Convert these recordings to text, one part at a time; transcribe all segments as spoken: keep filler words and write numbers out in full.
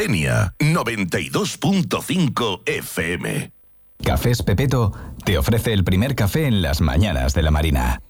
Denia, noventa y dos punto cinco F M. Cafés Pepeto te ofrece el primer café en las mañanas de la Marina.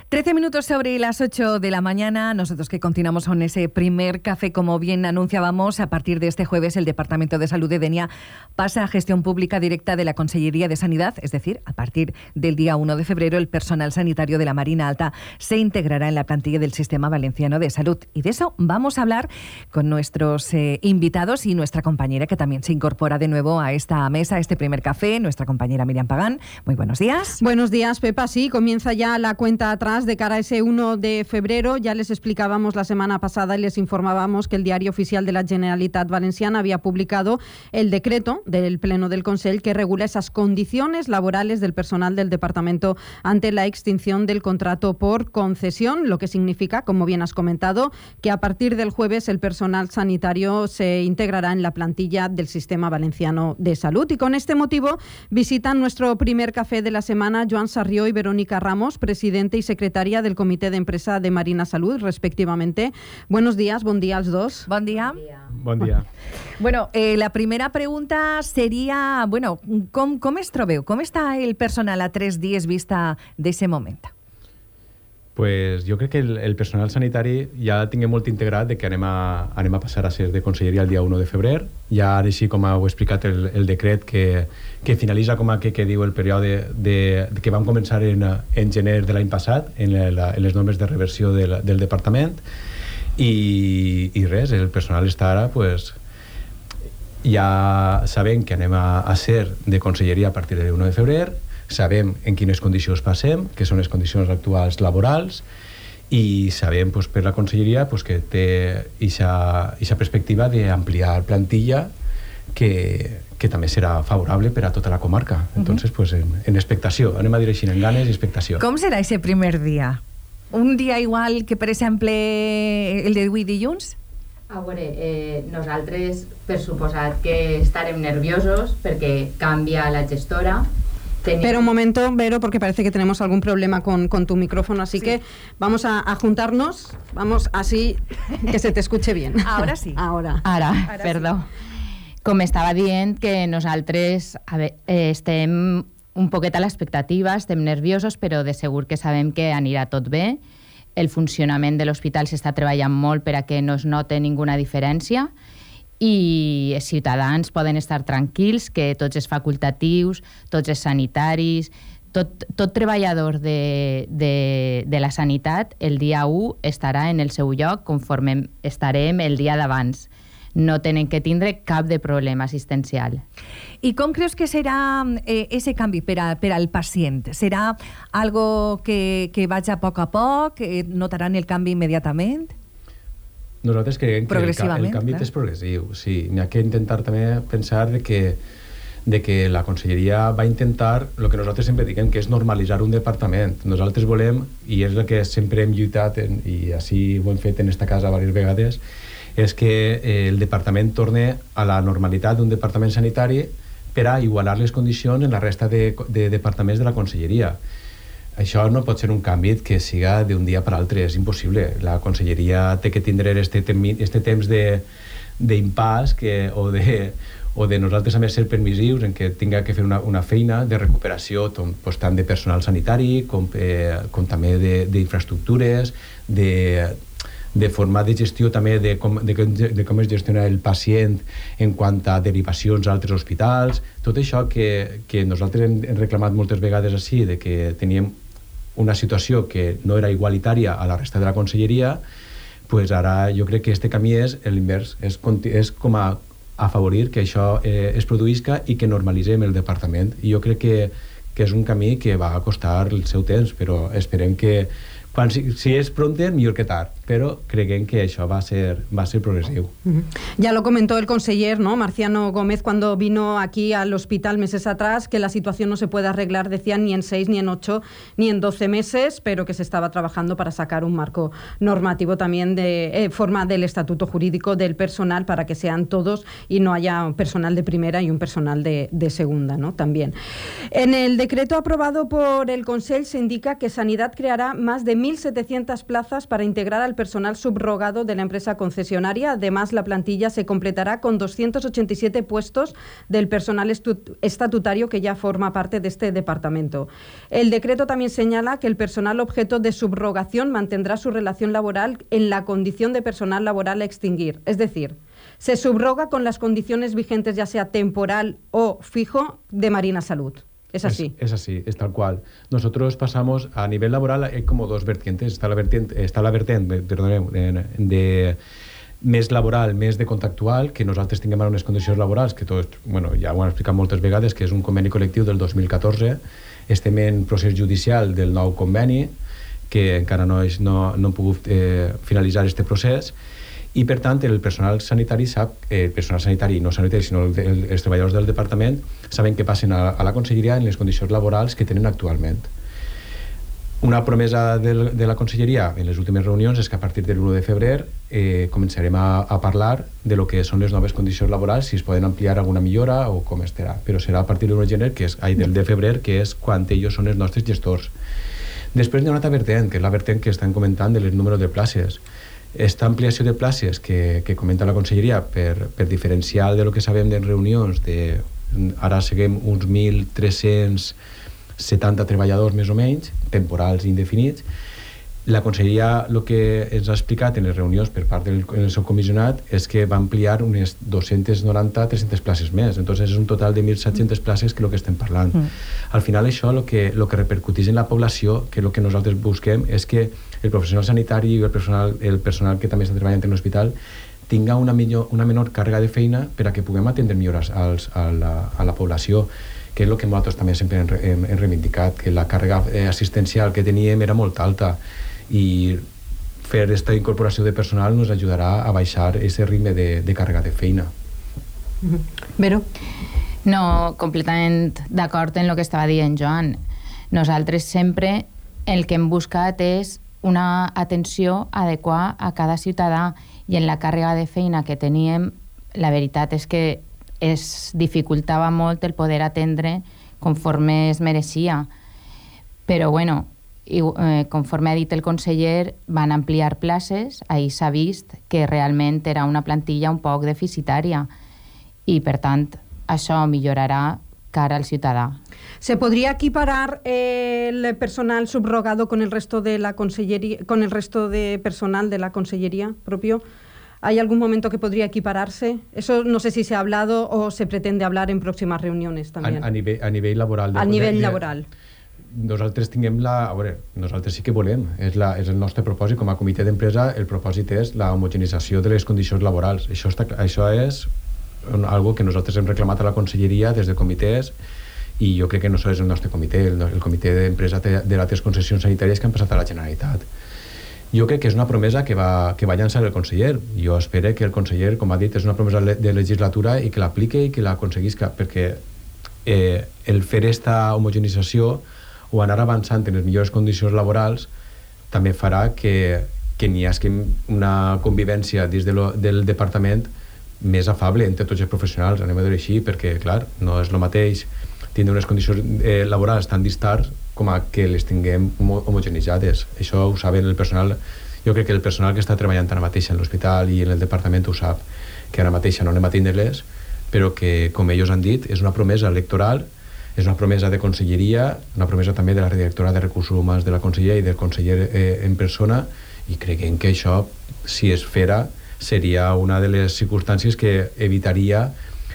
trece minutos sobre las ocho de la mañana, nosotros que continuamos con ese primer café, como bien anunciábamos, a partir de este jueves el Departamento de Salud de Denia pasa a gestión pública directa de la Consellería de Sanidad, es decir, a partir del día uno de febrero el personal sanitario de la Marina Alta se integrará en la plantilla del Sistema Valenciano de Salud. Y de eso vamos a hablar con nuestros eh, invitados y nuestra compañera que también se incorpora de nuevo a esta mesa, a este primer café, nuestra compañera Miriam Pagán. Muy buenos días. Buenos días, Pepa. Sí, comienza ya la cuenta atrás de cara a ese uno de febrero. Ya les explicábamos la semana pasada y les informábamos que el Diario Oficial de la Generalitat Valenciana había publicado el decreto del Pleno del Consell que regula esas condiciones laborales del personal del departamento ante la extinción del contrato por concesión, lo que significa, como bien has comentado, que a partir del jueves el personal sanitario se integrará en la plantilla del Sistema Valenciano de Salud. Y con este motivo visitan nuestro primer café de la semana Joan Sarrió y Verónica Ramos, presidente y secretaria del Comité de Empresa de Marina Salud, respectivamente. Buenos días, bon dia als dos. Bon dia. Bon dia. Bueno, eh, la primera pregunta seria, bueno, com, com es trobeu? Com està el personal a tres dies vista d'aquest moment? Pues jo crec que el, el personal sanitari ja tinguem molt integrat de que anem a, anem a passar a ser de conselleria el dia u de febrer. Ja ara així com heu explicat el, el decret que, que finalitza com a que, que diu el període de, de que vam començar en, en gener de l'any passat en, la, en les normes de reversió del, del departament i, i res, el personal està ara pues, ja sabem que anem a, a ser de conselleria a partir del u de febrer, sabem en quines condicions passem, que són les condicions actuals laborals, i sabem pues, per la conselleria pues, que té aquesta perspectiva d'ampliar plantilla que, que també serà favorable per a tota la comarca. Uh-huh. Entonces, pues, en, en expectació, anem a dir així, en ganes i expectació. Com serà aquest primer dia? Un dia igual que, per exemple, el de avui dilluns? A veure, eh, nosaltres, per suposat que estarem nerviosos perquè canvia la gestora. Tenemos... Pero un momento, Vero, porque parece que tenemos algún problema con, con tu micrófono, así sí. que vamos a, a juntarnos, vamos así, que se te escuche bien. Ahora sí. Ahora. Ara, Ara perdó. Sí. Com estava dient, que nosaltres a veure, eh, estem un poquet a l'expectativa, estem nerviosos, però de segur que sabem que anirà tot bé. El funcionament de l'hospital s'està treballant molt per a que no es note ninguna diferència, i els ciutadans poden estar tranquils que tots els facultatius, tots els sanitaris, tot, tot treballador de, de, de la sanitat el dia u estarà en el seu lloc conforme estarem el dia d'abans. No tenen que tindre cap de problema assistencial. I com creus que serà eh, ese canvi per, a, per al pacient? Serà algo que, que vaig a poc a poc? Eh, notaran el canvi immediatament? Nosaltres creiem que el, el canvi clar. és progressiu. Sí, n'hi ha que intentar també pensar de que, de que la conselleria va intentar el que nosaltres sempre diguem, que és normalitzar un departament. Nosaltres volem, i és el que sempre hem lluitat, en, i així ho hem fet en esta casa diverses vegades, és que eh, el departament torne a la normalitat d'un departament sanitari per a igualar les condicions en la resta de, de departaments de la conselleria. Això no pot ser un canvi que siga d'un dia per l'altre, és impossible. La conselleria té que tindre este, este temps d'impàs o, de, o de nosaltres també ser permissius en què tinga que fer una, una feina de recuperació tom, pues, tant de personal sanitari com, eh, com també d'infraestructures, de, de format de gestió també de com, de, de com es gestiona el pacient en quant a derivacions a altres hospitals. Tot això que, que nosaltres hem reclamat moltes vegades així, de que teníem una situació que no era igualitària a la resta de la conselleria, pues ara jo crec que este camí és l'invers, és, és com a afavorir que això eh, es produïsca i que normalitzem el departament. I jo crec que, que és un camí que va costar el seu temps, però esperem que quan, si, si és pronte, millor que tard, pero creen que eso va a ser, va a ser progresivo. Uh-huh. Ya lo comentó el conseller, ¿no? Marciano Gómez, cuando vino aquí al hospital meses atrás, que la situación no se puede arreglar, decían, ni en seis, ni en ocho, ni en doce meses, pero que se estaba trabajando para sacar un marco normativo también de eh, forma del estatuto jurídico del personal para que sean todos y no haya un personal de primera y un personal de, de segunda, ¿no? También. En el decreto aprobado por el Consell se indica que Sanidad creará más de mil setecientas plazas para integrar al el personal subrogado de la empresa concesionaria. Además, la plantilla se completará con doscientos ochenta y siete puestos del personal estatutario que ya forma parte de este departamento. El decreto también señala que el personal objeto de subrogación mantendrá su relación laboral en la condición de personal laboral a extinguir. Es decir, se subroga con las condiciones vigentes, ya sea temporal o fijo, de Marina Salud. Es así. Es, es así, es tal cual. Nosotros pasamos, a nivel laboral hay como dos vertientes. Está la vertiente, está la vertiente perdoneu, de més laboral, més de contractual, que nosaltres tinguem unes condicions laborals, que tots, bueno, ja ho han explicat moltes vegades, que és un conveni col·lectiu del dos mil catorze. Estem en procés judicial del nou conveni, que encara no, és, no, no hem pogut eh, finalitzar aquest procés, i per tant el personal sanitari sap, eh, el personal sanitari no sanitari sinó el, el, els treballadors del departament saben que passen a, a la conselleria en les condicions laborals que tenen actualment. Una promesa del, de la conselleria en les últimes reunions és que a partir de l'u de febrer eh, començarem a, a parlar de lo que són les noves condicions laborals, si es poden ampliar alguna millora o com estarà, però serà a partir de l'u de gener, que és, ai, del de febrer, que és quan ells són els nostres gestors. Després hi ha una altra vertent, que és la vertent que estan comentant del número de places. Esta ampliació de places que, que comenta la conselleria per, per diferencial de lo que sabem de reunions, de, ara seguim uns mil tres-cents setanta treballadors més o menys, temporals i indefinits. La conselleria el que ens ha explicat en les reunions per part del, del seu comissionat és que va ampliar unes dos-cents noranta a tres-centes places més. Entonces és un total de mil set-centes places que és el que estem parlant. Mm. Al final això el que, lo que repercuteix en la població, que el que nosaltres busquem és que el professional sanitari i el personal, el personal que també està treballant en l'hospital tinga una, millor, una menor càrrega de feina per a que puguem atendre millor als, a, la, a la població, que és el que nosaltres també sempre hem, hem, hem reivindicat, que la càrrega assistencial que teníem era molt alta i fer aquesta incorporació de personal ens ajudarà a baixar aquest ritme de, de càrrega de feina. Vero? No, completament d'acord en el que estava dient Joan. Nosaltres sempre el que hem buscat és una atenció adequada a cada ciutadà i en la càrrega de feina que teníem, la veritat és que es dificultava molt el poder atendre conforme es mereixia. Però bueno, i, eh, conforme ha dit el conseller, van ampliar places, ahir s'ha vist que realment era una plantilla un poc deficitària i per tant això millorarà cara al ciudadà. ¿Se podría equiparar eh, el personal subrogado con el resto de la consellería, con el resto de personal de la consellería propio? ¿Hay algún momento que podría equipararse? Eso no sé si se ha hablado o se pretende hablar en próximas reuniones también. A, a, nivell, a nivell laboral. De, a nivell de, laboral. Nosaltres tinguem la... A veure, nosaltres sí que volem, és, la, és el nostre propòsit com a comitè d'empresa, el propòsit és la homogenització de les condicions laborals. Això, està, això és algo que nosaltres hem reclamat a la conselleria des de comitès i jo crec que no és el nostre comitè, el, el comitè d'empresa de les altres concessions sanitàries que han passat a la Generalitat. Jo crec que és una promesa que va, que va llançar el conseller. Jo espero que el conseller, com ha dit, és una promesa de legislatura i que l'aplique i que l'aconseguisca, perquè eh, el fer esta homogenització o anar avançant en les millors condicions laborals també farà que, que n'hi hagi una convivència dins de lo, del departament més afable entre tots els professionals, anem a dir així, perquè, clar, no és el mateix tindre unes condicions eh, laborals tan distars com a que les tinguem homogenitzades. Això ho saben el personal. Jo crec que el personal que està treballant ara mateix en l'hospital i en el departament ho sap, que ara mateix no anem a tindre-les, però que, com ells han dit, és una promesa electoral, és una promesa de conselleria, una promesa també de la directora de Recursos Humans de la conselleria i del conseller eh, en persona, i creiem que això, si es fera, seria una de les circumstàncies que evitaria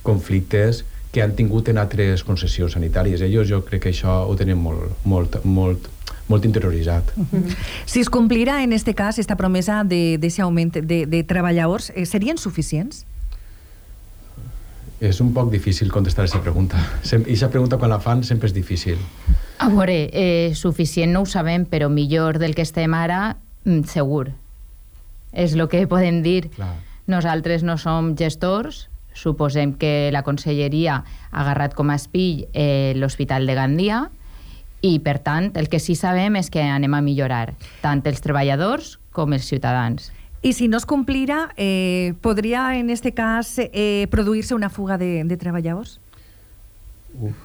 conflictes que han tingut en altres concessions sanitàries. Ells jo crec que això ho tenen molt, molt, molt, molt interioritzat. Uh-huh. Si es complirà en este cas esta promesa d'aquest augment de, de treballadors, eh, serien suficients? És un poc difícil contestar aquesta pregunta. I aquesta pregunta quan la fan sempre és difícil. A veure, eh, suficient no ho sabem, però millor del que estem ara, segur. És el que podem dir. Clar. Nosaltres no som gestors, suposem que la conselleria ha agarrat com a espill eh, l'Hospital de Gandia i, per tant, el que sí sabem és que anem a millorar, tant els treballadors com els ciutadans. I si no es complirà, eh, podria, en este cas, eh, produir-se una fuga de, de treballadors? Uf.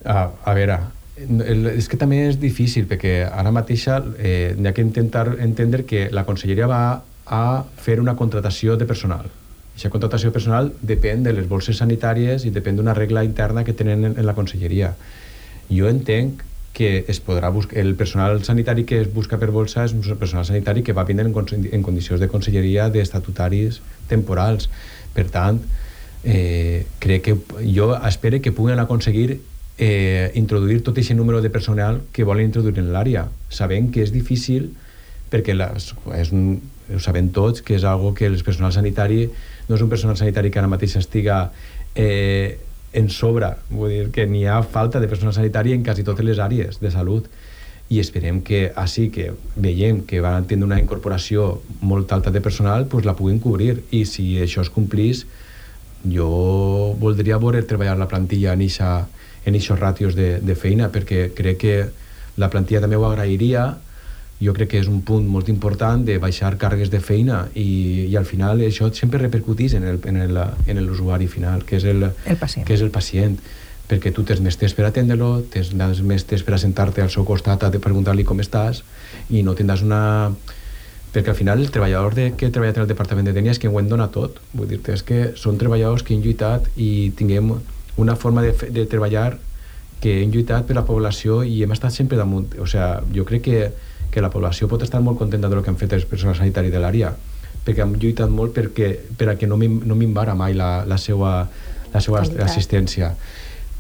A, a veure, el, és que també és difícil, perquè ara mateix eh, hi ha que intentar entendre que la conselleria va a fer una contratació de personal. Aquesta contratació de personal depèn de les bolses sanitàries i depèn d'una regla interna que tenen en, en la conselleria. Jo entenc que es podrà buscar, el personal sanitari que es busca per bolsa és un personal sanitari que va vindre en, en condicions de conselleria d'estatutaris temporals. Per tant, eh, crec que jo espero que puguen aconseguir eh, introduir tot aquest número de personal que volen introduir en l'àrea, sabent que és difícil perquè les, és un, ho sabem tots que és algo que el personal sanitari no és un personal sanitari que ara mateix estiga eh, en sobre, vull dir que n'hi ha falta de personal sanitari en quasi totes les àrees de salut, i esperem que així que veiem que van tindre una incorporació molt alta de personal, pues la puguin cobrir, i si això es complís, jo voldria veure treballar la plantilla en eixa, en eixos ràtios de, de feina, perquè crec que la plantilla també ho agrairia. Jo crec que és un punt molt important de baixar càrregues de feina, i, i al final això sempre repercutís en el, en el, en l'usuari final, que és el, el pacient. que és el pacient, perquè tu tens més temps per atendre-lo, tens més temps per assentar-te al seu costat a preguntar-li com estàs, i no tindràs una... Perquè al final el treballador de, que treballa en el Departament de Dènia és que ho en dona tot. Vull dir-te, és que són treballadors que han lluitat i tinguem una forma de, de treballar que hem lluitat per la població i hem estat sempre damunt. O sigui, jo crec que que la població pot estar molt contenta del que han fet els personal sanitari de l'àrea, perquè han lluitat molt perquè, per a que no, no minvara mai la, la seva, la seva assistència.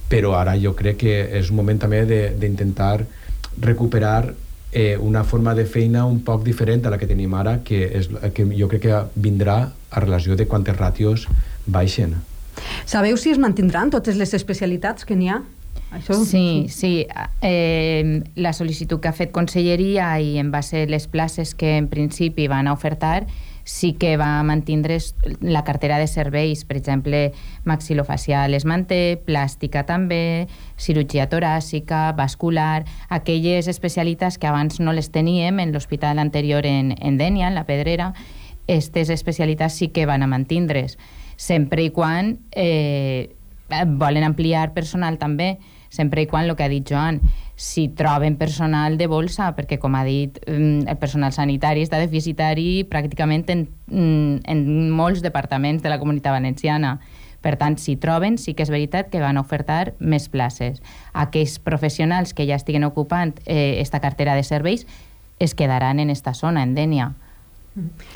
Però ara jo crec que és un moment també d'intentar recuperar eh, una forma de feina un poc diferent a la que tenim ara, que, és, que jo crec que vindrà a relació de quantes ràtios baixen. Sabeu si es mantindran totes les especialitats que n'hi ha? Això? Sí, sí. Eh, la sol·licitud que ha fet Conselleria i en base a les places que en principi van a ofertar, sí que va mantindre la cartera de serveis, per exemple, maxilofacial es manté, plàstica també, cirurgia toràcica, vascular, aquelles especialitats que abans no les teníem en l'hospital anterior en, en Dénia, en la Pedrera, aquestes especialitats sí que van a mantindre's, sempre i quan eh, volen ampliar personal també, sempre i quan, el que ha dit Joan, si troben personal de bolsa, perquè, com ha dit, el personal sanitari està deficitari pràcticament en, en molts departaments de la Comunitat Valenciana. Per tant, si troben, sí que és veritat que van ofertar més places. Aquells professionals que ja estiguen ocupant eh, esta cartera de serveis es quedaran en esta zona, en Dénia.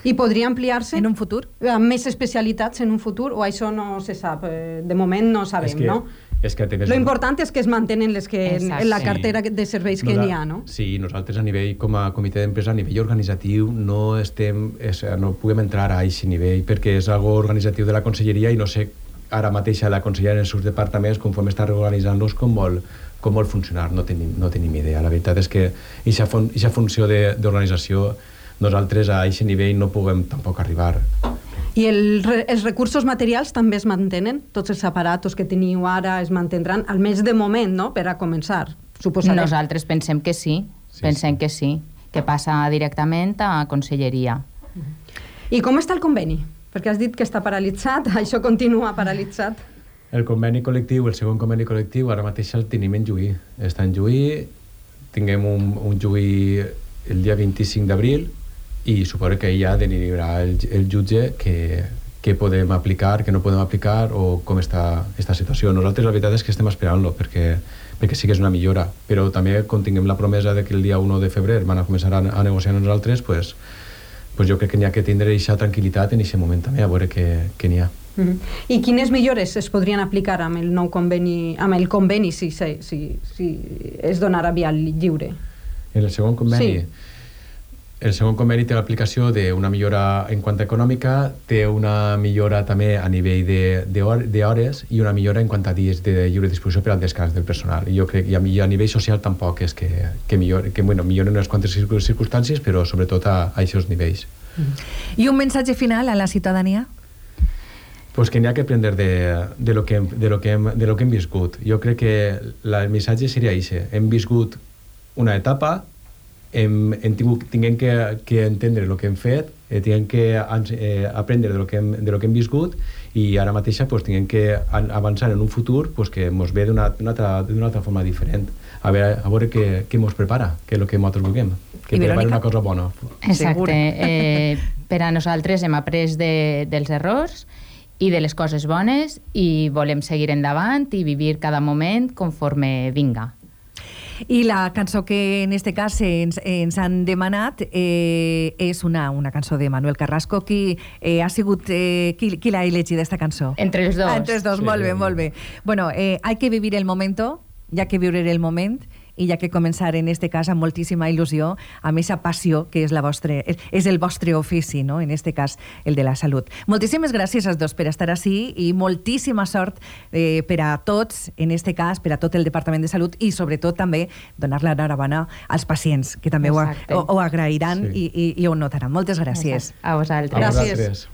I podria ampliar-se? En un futur? Amb més especialitats en un futur, o això no se sap? De moment no sabem, és que, no? És que Lo important és que es mantenen les que en, en la cartera sí. de serveis que Nosa, n'hi ha, no? Sí, nosaltres a nivell, com a comitè d'empresa, a nivell organitzatiu, no estem, és, no puguem entrar a aquest nivell, perquè és algo organitzatiu de la conselleria i no sé ara mateix la conselleria en els seus departaments, conforme està reorganitzant-los, com vol, com vol funcionar, no tenim, no tenim idea. La veritat és que aquesta fun funció d'organització nosaltres a aquest nivell no puguem tampoc arribar. I el, els recursos materials també es mantenen? Tots els aparatos que teniu ara es mantindran, almenys de moment, no?, per a començar, suposarem. Nosaltres pensem que sí, sí pensem sí. que sí, que passa directament a Conselleria. I com està el conveni? Perquè has dit que està paralitzat, això continua paralitzat. El conveni col·lectiu, el segon conveni col·lectiu, ara mateix el tenim en Lluí. Està en Lluí, tinguem un, un Lluí el dia vint-i-cinc d'abril, i suposo que ja derivarà el, el jutge que, que podem aplicar, que no podem aplicar, o com està aquesta situació. Nosaltres la veritat és que estem esperant-lo, perquè, perquè sí que és una millora, però també com tinguem la promesa de que el dia u de febrer van a començar a, a negociar amb nosaltres, pues, pues jo crec que n'hi ha que tindre aquesta tranquil·litat en aquest moment també, a veure què, què n'hi ha. Mm-hmm. I quines millores es podrien aplicar amb el nou conveni, amb el conveni si, si, si, si es donarà via lliure? En el segon conveni? Sí. El segon conveni té l'aplicació d'una millora en quant a econòmica, té una millora també a nivell d'hores i una millora en quant a dies de lliure disposició per al descans del personal. I jo crec que a nivell social tampoc és que, que, millor, que bueno, milloren unes quantes circumstàncies, però sobretot a, a aquests nivells. I un missatge final a la ciutadania? Pues que n'hi ha que aprendre de, de, lo que hem, de, lo que hem, de lo que hem viscut. Jo crec que la, el missatge seria això. Hem viscut una etapa, hem, hem tingut, tinguem que, que entendre el que hem fet eh, tinguem que eh, aprendre de lo que hem, de lo que hem viscut i ara mateixa pues, tinguem que avançar en un futur pues, que ens ve d'una altra, altra forma diferent. A veure, a veure què, què ens prepara, què és el que nosaltres vulguem, que prepara una cosa bona. Exacte. Eh, per a nosaltres hem après de, dels errors i de les coses bones i volem seguir endavant i vivir cada moment conforme vinga. I la cançó que en este cas ens, ens han demanat eh, és una, una cançó de Manuel Carrasco. Qui eh, ha sigut eh, qui, qui l'ha elegit esta cançó? Entre els dos. Ah, entre els dos, sí, molt bé, molt bé. Bueno, eh, hay que vivir el momento, hi ha que viure el moment i hi ha que començar en este cas amb moltíssima il·lusió, amb aquesta passió que és, la vostre, és el vostre ofici, no? En este cas el de la salut. Moltíssimes gràcies als dos per estar així i moltíssima sort eh, per a tots, en este cas, per a tot el Departament de Salut i sobretot també donar l'enhorabona als pacients, que també ho, ho, ho agrairan sí. i, i, i ho notaran. Moltes gràcies. A vosaltres. A vosaltres.